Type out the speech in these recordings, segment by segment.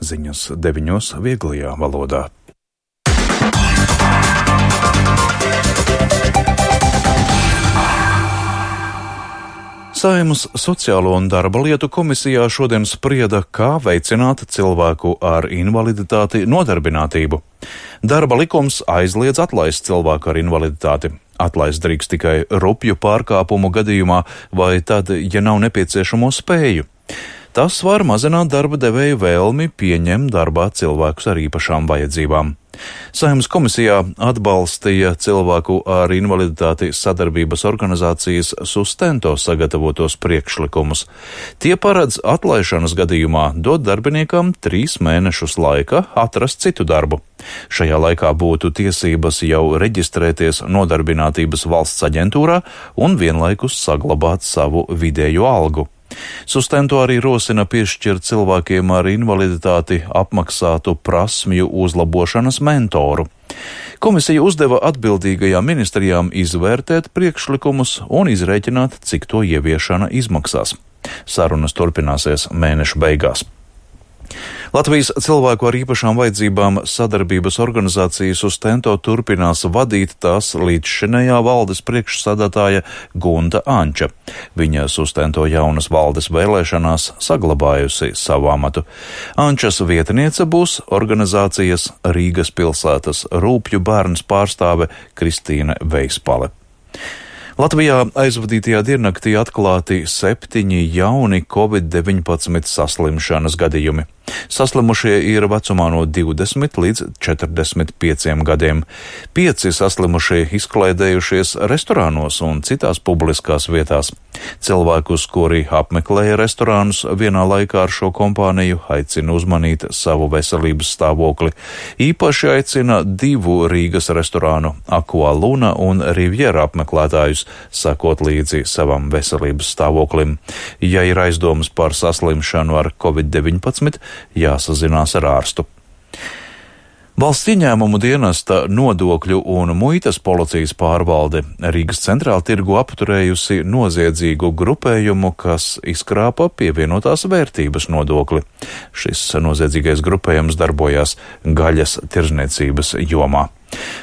ziņas 9 vieglajā valodā. Saeimas Sociālo un darba lietu komisijā šodien sprieda, kā veicināt cilvēku ar invaliditāti nodarbinātību. Darba likums aizliedz atlaist cilvēku ar invaliditāti. Atlaist drīkst tikai rupju pārkāpumu gadījumā vai tad, ja nav nepieciešamo spēju. Tas var mazināt darba devēju vēlmi pieņemt darbā cilvēkus ar īpašām vajadzībām. Saeimas komisijā atbalstīja cilvēku ar invaliditāti sadarbības organizācijas Sustento sagatavotos priekšlikumus. Tie paredz atlaišanas gadījumā dot darbiniekam 3 mēnešus laika atrast citu darbu. Šajā laikā būtu tiesības jau reģistrēties Nodarbinātības valsts aģentūrā un vienlaikus saglabāt savu vidējo algu. Sustento arī rosina piešķirt cilvēkiem ar invaliditāti apmaksātu prasmju uzlabošanas mentoru. Komisija uzdeva atbildīgajām ministrijām izvērtēt priekšlikumus un izrēķināt, cik to ieviešana izmaksās. Sarunas turpināsies mēneša beigās. Latvijas cilvēku ar īpašām vajadzībām sadarbības organizācija Sustento turpinās vadīt tās līdzšinējā valdes priekšsādātāja Gunta Anča. Viņa Sustento jaunas valdes vēlēšanās saglabājusi savu amatu. Ančas vietniece būs organizācijas Rīgas pilsētas rūpju bērns pārstāve Kristīne Veispale. Latvijā aizvadītajā diennaktī atklāti 7 jauni Covid-19 saslimšanas gadījumi. Saslimušie ir vecumā no 20 līdz 45 gadiem. 5 saslimušie izklaidējušies restorānos un citās publiskās vietās. Cilvēkus, kuri apmeklēja restorānus vienā laikā ar šo kompāniju, aicina uzmanīt savu veselības stāvokli. Īpaši aicina 2 Rīgas restorānu Aqua Luna un Riviera apmeklētājus sakot līdzi savam veselības stāvoklim. Ja ir aizdomas par saslimšanu ar Covid-19, jāsazinās ar ārstu. Valsts ieņēmumu dienesta nodokļu un muitas policijas pārvalde Rīgas centrāla tirgu apturējusi noziedzīgu grupējumu, kas izkrāpa pievienotās vērtības nodokli. Šis noziedzīgais grupējums darbojās gaļas tirdzniecības jomā.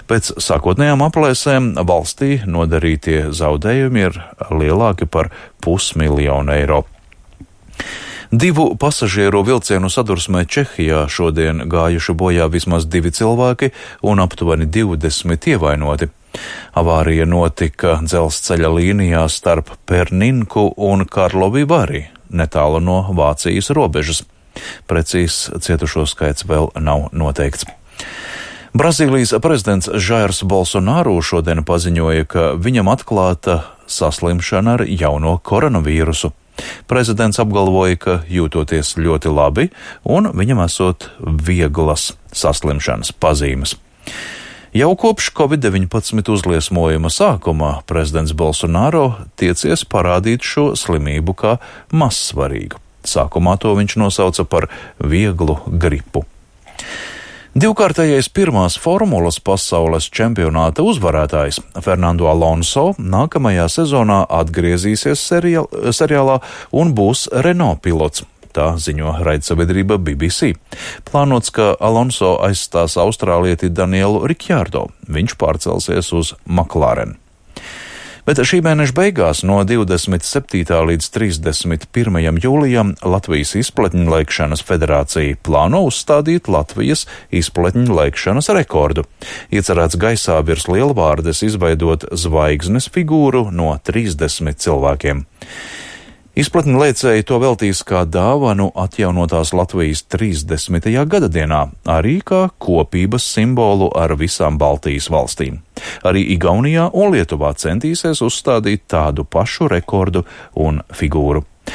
Pēc sākotnējām aplēsēm valstī nodarītie zaudējumi ir lielāki par 500 000 eiro. 2 pasažieru vilcienu sadursmē Čehijā šodien gājuši bojā vismaz 2 cilvēki un aptuveni 20 ievainoti. Avārija notika dzelzceļa līnijā starp Perninku un Karlovi Vari, netālu no Vācijas robežas. Precīzs cietušo skaits vēl nav noteikts. Brazīlijas prezidents Jairs Bolsonaro šodien paziņoja, ka viņam atklāta saslimšana ar jauno koronavīrusu. Prezidents apgalvoja, ka jūtoties ļoti labi un viņam esot vieglas saslimšanas pazīmes. Jau kopš Covid-19 uzliesmojuma sākumā prezidents Bolsonaro tiecies parādīt šo slimību kā mazsvarīgu. Sākumā to viņš nosauca par vieglu gripu. Divkārtējais pirmās formulas pasaules čempionāta uzvarētājs Fernando Alonso nākamajā sezonā atgriezīsies seriālā un būs Renault pilots. Tā ziņo raidsabiedrība BBC. Plānots, ka Alonso aizstās austrālieti Danielu Ricciardo. Viņš pārcelsies uz McLaren. Bet šī mēneša beigās no 27. līdz 31. jūlijam Latvijas izpletņlaikšanas federācija plāno uzstādīt Latvijas izpletņlaikšanas rekordu. Iecerēts gaisā virs Lielvārdes izveidot zvaigznes figūru no 30 cilvēkiem. Izpletņlaicēji to veltīs kā dāvanu atjaunotās Latvijas 30. gada dienā, arī kā kopības simbolu ar visām Baltijas valstīm. Arī Igaunijā un Lietuvā centīsies uzstādīt tādu pašu rekordu un figūru.